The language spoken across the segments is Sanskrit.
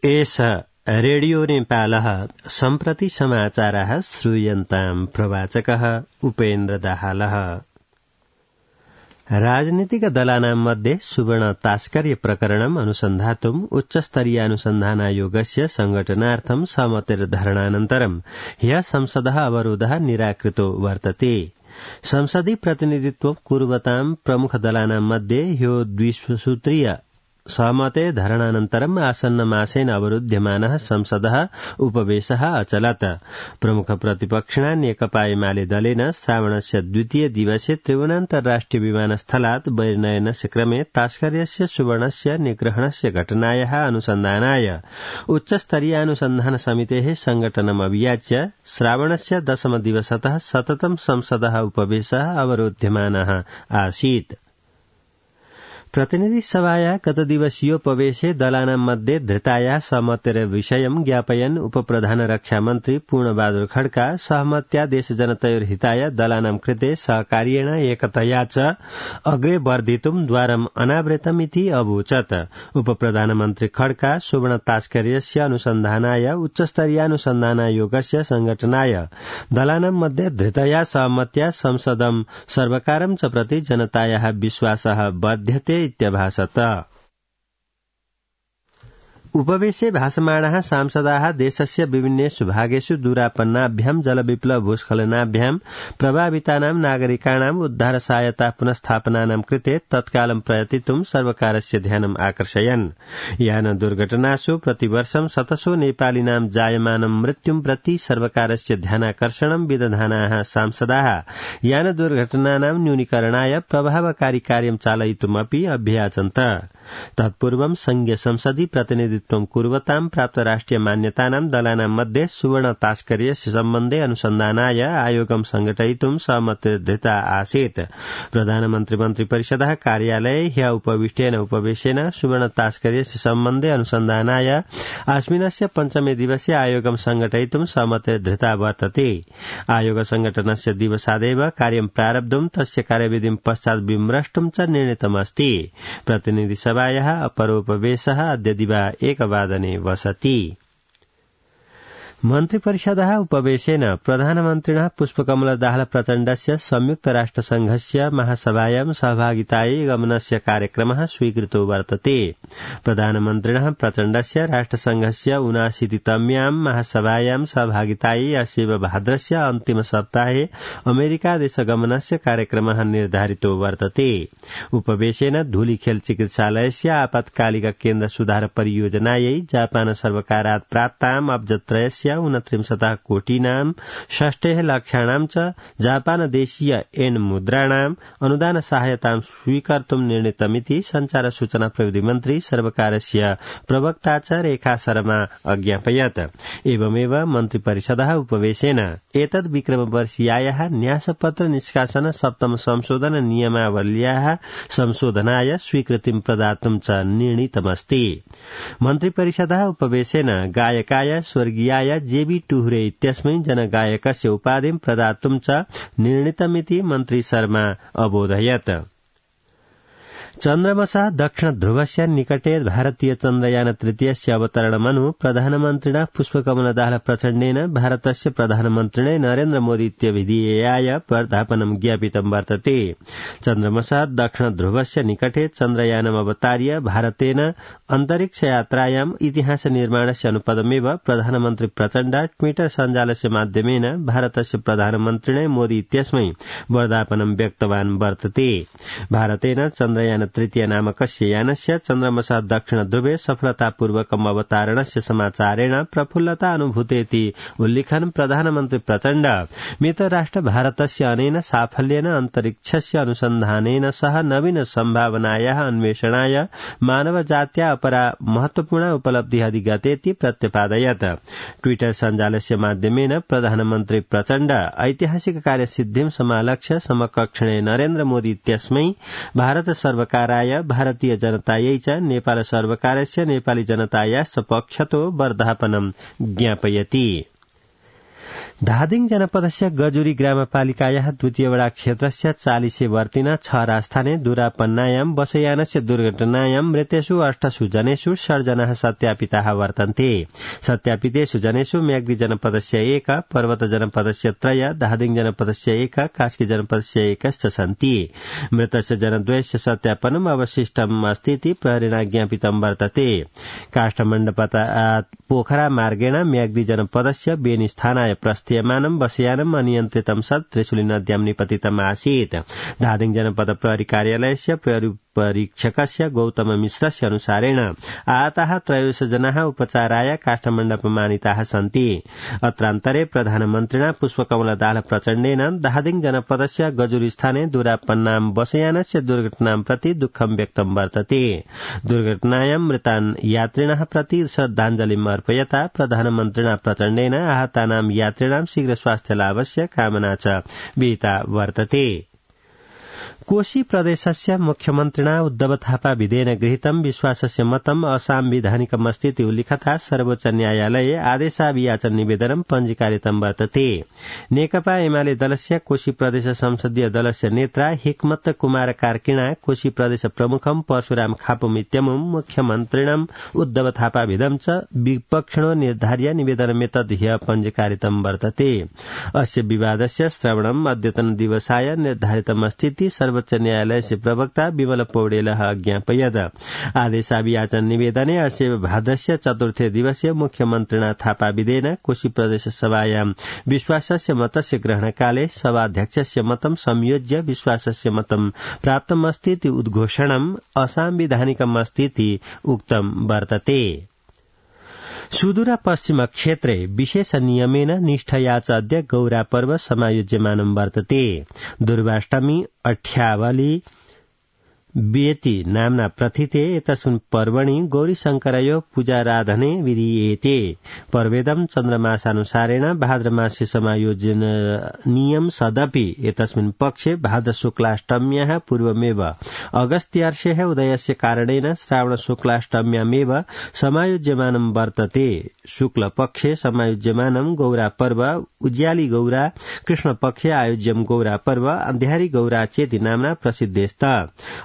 एष रेडियो नेपालः सम्प्रति समाचारः श्रूयन्ताम् प्रवाचकः उपेन्द्र दाहालः। राजनीतिक दलानां मध्ये सुवर्ण तास्कर्य प्रकरणम् अनुसन्धातुम् उच्चस्तरीयानुसन्धानायोगस्य संघटनार्थं सहमतिर्धरणानन्तरम् ह्यः संसदः अवरोधः निराकृतो वर्तते। संसदि प्रतिनिधित्वं कुर्वतां प्रमुख दलानां मध्ये ह्यो द्विसूत्रीय सहमते धरणानन्तरम् आसन्नमासेन अवरुध्यमानः संसदः उपवेशः अचलत्। प्रमुख प्रतिपक्षिणा नेकपा एमाले दलेन श्रावणस्य द्वितीय दिवसे त्रिभुवनान्तर्राष्ट्रिय विमानस्थलात् बहिर्नयनस्य क्रमे तास्कर्यस्य सुवर्णस्य निग्रहणस्य घटनायाः अनुसन्धानाय उच्चस्तरीयानुसन्धान समितेः संघटनम् अभियाच्य श्रावणस्य दशमदिवसतः सततं संसदः उपवेशः अवरोध्यमानः आसीत्। प्रतिनिधि सभाया गतदिवसीयोपवेशे दलानां मध्ये धृताया सहमतिर्विषयं ज्ञापयन् उपप्रधान रक्षामन्त्री पूर्णबहादुर खड्का सहमत्या देशजनतयोर्हिताय दलानां कृते सहकार्येण एकतया च अग्रे वर्धितुं द्वारम् अनावृतमिति अवोचत्। उपप्रधानमन्त्री खड्का सुवर्ण तास्कर्यस्य अनुसन्धानाय उच्चस्तरीयानुसन्धानायोगस्य संघटनाय दलानां मध्ये धृतया सहमत्या संसदं सर्वकारं च प्रति जनतायाः विश्वासः वर्ध्यते इत्यभाषत। उपवेशे भाषमाणाः सांसदाः देशस्य विभिन्नेषु भागेषु दूरापन्नाभ्यां जलविप्लव भूस्खलनाभ्यां प्रभावितानां नागरिकाणाम् उद्धार सहायता पुनस्थापनानां कृते तत्कालं प्रयतितुं सर्वकारस्य ध्यानम् आकर्षयन्। यान दुर्घटनासु प्रतिवर्षं शतशो नेपालिनां जायमानं मृत्युं प्रति सर्वकारस्य ध्यानाकर्षणं विदधानाः सांसदाः यान दुर्घटनानां न्यूनीकरणाय प्रभावकारी कार्यं चालयितुमपि अभ्याचन्त। तत्पूर्वं संघीय संसदि प्रतिनिधित्वं कुर्वतां प्राप्त राष्ट्रिय मान्यतानां दलानां मध्ये सुवर्ण तास्कर्यस्य सम्बन्धे अनुसन्धानाय आयोगं संघटयितुं सहमतिर्धृता आसीत्। प्रधानमन्त्री मन्त्रिपरिषदः कार्यालये ह्यः उपविष्टेन उपवेशेन सुवर्ण तास्कर्यस्य सम्बन्धे अनुसन्धानाय अस्मिन्नस्य पञ्चमे दिवसे आयोगं संघटयितुं सहमतिर्धृता वर्तते। आयोग संघटनस्य दिवसादेव कार्यं प्रारब्धुं तस्य कार्यविधिं पश्चात् विमृष्टुं च निर्णीतमस्ति। प्रतिनिधि सभायाः अपरोपवेशः अद्य दिवा 1 वसति। मन्त्रिपरिषदः उपवेशेन प्रधानमन्त्रिणः पुष्पकमल दाहाल प्रचण्डस्य संयुक्त राष्ट्रसंघस्य महासभायां सहभागितायै गमनस्य कार्यक्रमः स्वीकृतो वर्तते। प्रधानमन्त्रिणः प्रचण्डस्य राष्ट्रसंघस्य 79तम्यां महासभायां सहभागितायै अस्यैव भाद्रस्य अन्तिम सप्ताहे अमेरिकादेशगमनस्य कार्यक्रमः निर्धारितो वर्तते। उपवेशेन धूलिखेल चिकित्सालयस्य आपत्कालिक केन्द्र सुधार परियोजनायै जापान सर्वकारात् प्राप्ताम् अब्जत्रयस्य 29 कोटीनां 6 लक्षाणां च जापानदेशीय येन मुद्राणाम् अनुदान सहायतां स्वीकर्तुं निर्णीतमिति संचार सूचना प्रविधि मन्त्री सर्वकारस्य प्रवक्ता च रेखा शर्मा अज्ञापयत्। एवमेव मन्त्रिपरिषदः उपवेशेन एतद् विक्रमवर्षीयायाः न्यासपत्र निष्कासन सप्तम संशोधन नियमावल्याः संशोधनाय स्वीकृतिं प्रदातुं च निर्णीतमस्ति। मन्त्रिपरिषदः उपवेशेन गायकाय स्वर्गीयाय जेबी टुहुरे इत्यस्मै जनगायकस्य उपाधिं प्रदातुं च निर्णीतमिति मन्त्री शर्मा अबोधयत्। चन्द्रमसः दक्षिण ध्रुवस्य निकटे भारतीय चन्द्रयान तृतीयस्य अवतरणमनु प्रधानमन्त्रिणा पुष्पकमल दाहाल प्रचण्डेन भारतस्य प्रधानमन्त्रिणे नरेन्द्र मोदी इत्यभिधेयाय वर्धापनं ज्ञापितं वर्तते। चन्द्रमसः दक्षिण ध्रुवस्य निकटे चन्द्रयानम् अवतार्य भारतेन अन्तरिक्षयात्रायाम् इतिहास निर्माणस्य अनुपदमेव प्रधानमन्त्री प्रचण्ड ट्विटर सञ्जालस्य माध्यमेन भारतस्य प्रधानमन्त्रिणे मोदी इत्यस्मै वर्धापनं व्यक्तवान् वर्तते। भारतेन चन्द्रयान तृतीय नामकस्य यानस्य चन्द्रमसः दक्षिण ध्रुवे सफलतापूर्वकम् अवतारणस्य समाचारेण प्रफुल्लता अनुभूतेति उल्लिखन् प्रधानमन्त्री प्रचण्ड मित्रराष्ट्र भारतस्य अनेन साफल्येन अन्तरिक्षस्य अनुसन्धानेन सह नवीन सम्भावनायाः अन्वेषणाय मानवजात्या अपरा महत्वपूर्ण उपलब्धिः अधिगतेति प्रत्यपादयत्। ट्विटर सञ्जालस्य माध्यमेन प्रधानमन्त्री प्रचण्ड ऐतिहासिक कार्यसिद्धिं समालक्ष्य समकक्षणे नरेन्द्र मोदी इत्यस्मै भारत सर्वकाराय भारतीय जनतायै च नेपाल सर्वकारस्य नेपाली जनतायाश्च पक्षतो वर्धापनं ज्ञापयति। धादिङ जनपदस्य गजुरी ग्रामपालिकायाः द्वितीय वडा क्षेत्रस्य 40 वर्तिन 6 राजस्थाने दुरापन्नायां बसयानस्य दुर्घटनायां मृतेषु 8 जनेषु षड्जनाः सत्यापिताः वर्तन्ते। सत्यापितेषु जनेषु म्याग्दी जनपदस्य 1, पर्वत जनपदस्य 3, धादिङ जनपदस्य 1, कास्की जनपदस्य 1 सन्ति। मृतस्य जनद्वयस्य सत्यापनम् अवशिष्टम् अस्तीति प्रहरिणा ज्ञापितं वर्तते। काष्ठमण्डपतात् पोखरा मार्गेण म्याग्दी जनपदस्य बेनीस्थानाय प्रस्थीयमानं बसयानम् अनियन्त्रितं सत् त्रिशुली नद्यां निपतितम् आसीत्। धादिङ जनपद प्रहरी कार्यालयस्य प्रहरी परीक्षकस्य गौतम मिश्रस्य अनुसारेण आहताः 13 जनाः उपचाराय काष्ठमण्डपमानीताः सन्ति। अत्रान्तरे प्रधानमन्त्रिणा पुष्पकमल दाहाल प्रचण्डेन धादिङ जनपदस्य गजुरी स्थाने दुरापन्नां बसयानस्य दुर्घटनां प्रति दुःखं व्यक्तं वर्तते। दुर्घटनायां मृतान् यात्रिणः प्रति श्रद्धाञ्जलिम् अर्पयता प्रधानमन्त्रिणा प्रचण्डेन आहतानां यात्रिणां शीघ्र स्वास्थ्य लाभस्य कामना च विहिता वर्तते। कोशी प्रदेशस्य मुख्यमन्त्रिणा उद्धव थापा विधेयन गृहीतं विश्वासस्य मतम् असांविधानिकमस्तीति उल्लिखता सर्वोच्च न्यायालये आदेशाभियाचन निवेदनं पञ्जीकारितं वर्तते। नेकपा एमाले दलस्य कोशी प्रदेश संसदीय दलस्य नेत्रा हिक्मत कुमार कार्किणा कोशी प्रदेश प्रमुखं परशुराम खापुमित्यमुं मुख्यमन्त्रिणं उद्धव थापा विधं च विपक्षिणो निर्धार्य निवेदनमेतद् ह्यः पञ्जीकारितं वर्तते। अस्य विवादस्य श्रवणम् अद्यतन दिवसाय निर्धारितमस्तीति सर्वोच्च न्यायालयस्य प्रवक्ता विमल पौडेलः अज्ञापयत्। आदेशाभियाचन निवेदने अस्य भाद्रस्य चतुर्थे दिवसे मुख्यमन्त्रिणा थापा विधेन कोशी प्रदेश सभायां विश्वासस्य मतस्य ग्रहणकाले सभाध्यक्षस्य मतं संयोज्य विश्वासस्य मतं प्राप्तमस्तीति उद्घोषणम् असांविधानिकमस्तीति उक्तं वर्तते। सुदूर पश्चिम क्षेत्रे विशेष नियमेन निष्ठया च अद्य गौरा पर्व समायोज्यमानं वर्तते। दुर्वाष्टमी अठ्यावली बेति नाम्ना प्रथिते एतस्मिन् पर्वणि गौरीशंकरयो पूजाराधने विधीयेते। पर्वेदं चन्द्रमासानुसारेण भाद्रमासे समायोजनीयं सदपि एतस्मिन् पक्षे भाद्र शुक्लाष्टम्याः पूर्वमेव अगस्त्यार्षेः उदयस्य कारणेन श्रावण शुक्लाष्टम्यामेव समायोज्यमानं वर्तते। शुक्लपक्षे समायोज्यमानं गौरा पर्व उज्याली गौरा, कृष्णपक्षे आयोज्यं गौरा पर्व अन्ध्यारी गौरा चेति नाम्ना प्रसिद्धेस्त।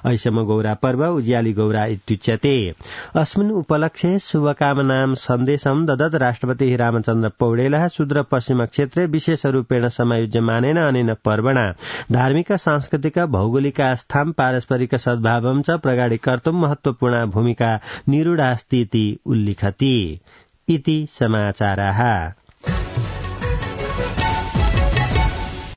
ऐषम गौरा पर्व उज्याली गौरा इत्युच्यते। अस्मिन् उपलक्ष्ये शुभकामनां सन्देशं ददत् राष्ट्रपतिः रामचन्द्र पौडेलः सुदूर पश्चिम क्षेत्रे विशेषरूपेण समायोज्यमानेन अनेन पर्वणा धार्मिक सांस्कृतिक भौगोलिक आस्थां पारस्परिक सद्भावं च प्रगाढीकर्तुं महत्वपूर्णा भूमिका निरूढास्ति इति उल्लिखति। इति समाचाराः।